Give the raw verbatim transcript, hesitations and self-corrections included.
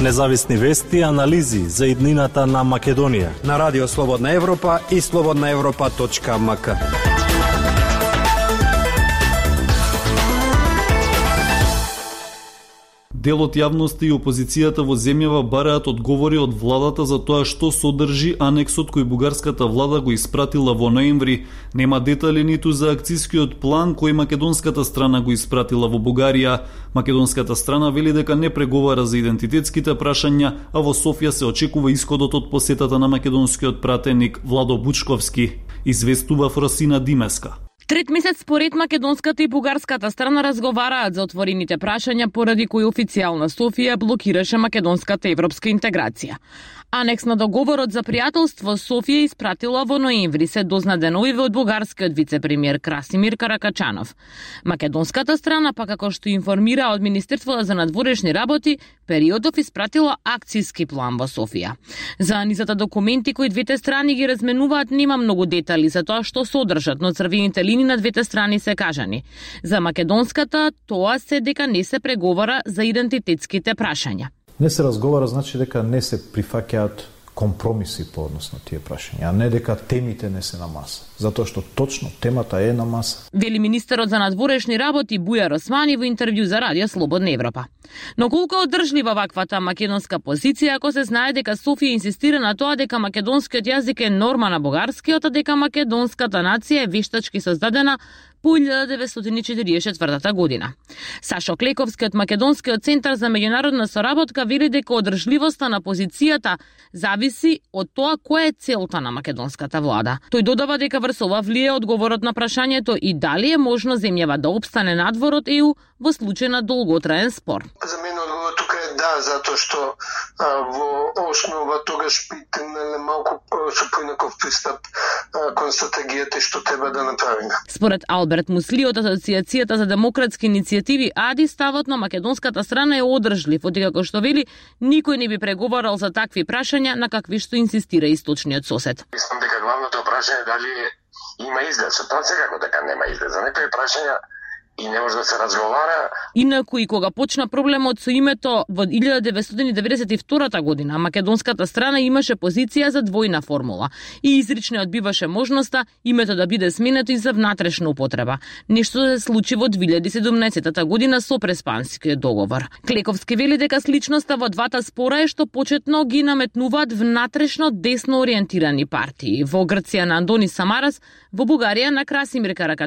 Независни вести и анализи за иднината на Македонија на Радио Слободна Европа и слободна европа точка ем ка. Дел од јавноста и опозицијата во земјава бараат одговори од владата за тоа што содржи анексот кој бугарската влада го испратила во ноември. Нема детали ниту за акцискиот план кој македонската страна го испратила во Бугарија. Македонската страна вели дека не преговара за идентитетските прашања, а во Софија се очекува исходот од посетата на македонскиот пратеник Владо Бучковски, известува Фросина Димеска. Трет месец според македонската и бугарската страна разговараат за отворените прашања поради кои официјална Софија блокираше македонската европска интеграција. Анекс на договорот за пријателство Софија испратила во ноември, се дозна деновиве од бугарскиот вице-премиер Красимир Каракачанов. Македонската страна, па како што информира од Министерството за надворешни работи, периодов испратила акцијски план во Софија. За низата документи кои двете страни ги разменуваат нема многу детали за тоа што содржат, но црвените линии на двете страни се кажани. За македонската тоа се дека не се преговара за идентитетските прашања. Не се разговара, значи дека не се прифаќаат компромиси по однос на тие прашања, а не дека темите не се на маса. Затоа што точно темата е на маса. Вели министерот за надворешни работи Бујар Османи во интервју за Радио Слободна Европа. Но колку одржлива ваквата македонска позиција ако се знае дека Софија инсистира на тоа дека македонскиот јазик е норма на бугарскиот, а дека македонската нација е вештачки создадена по илјада деветстотини четиридесет и четвртата година. Сашо Клековски од Македонскиот центар за меѓународна соработка вели дека одржливоста на позицијата зависи од тоа која е целта на македонската влада. Тој додава дека врз ова влие одговорот на прашањето и дали е можно земјава да опстане надвор од Е У во случај на долготраен спор. За мене одговор тука е да, затоа што а, во основа тогаш би тргнале малку со поинаков пристап а, кон стратегијата што треба да направиме. Според Алберт Мусли од Асоциацијата за демократски иницијативи АДИ, ставот на македонската страна е одржлив, откако што вели никој не би преговарал за такви прашања на какви што инсистира источниот сосед. Мислам дека главното прашање дали има изглед, со тоа секако дека нема изглед. За некои прашања и не може да се разговара. Инаку и кога почна проблемот со името во илјада деветстотини деветдесет и втората година, македонската страна имаше позиција за двојна формула и изрично одбиваше можноста името да биде сменето и за внатрешна употреба. Нешто се случи во две илјади и седумнаесетта година со Преспанскиот договор. Клековски вели дека сличноста во двата спора е што почетно ги наметнуваат внатрешно десно ориентирани партии. Во Грција на Андони Самарас, во Бугарија на Красимир Каракачанов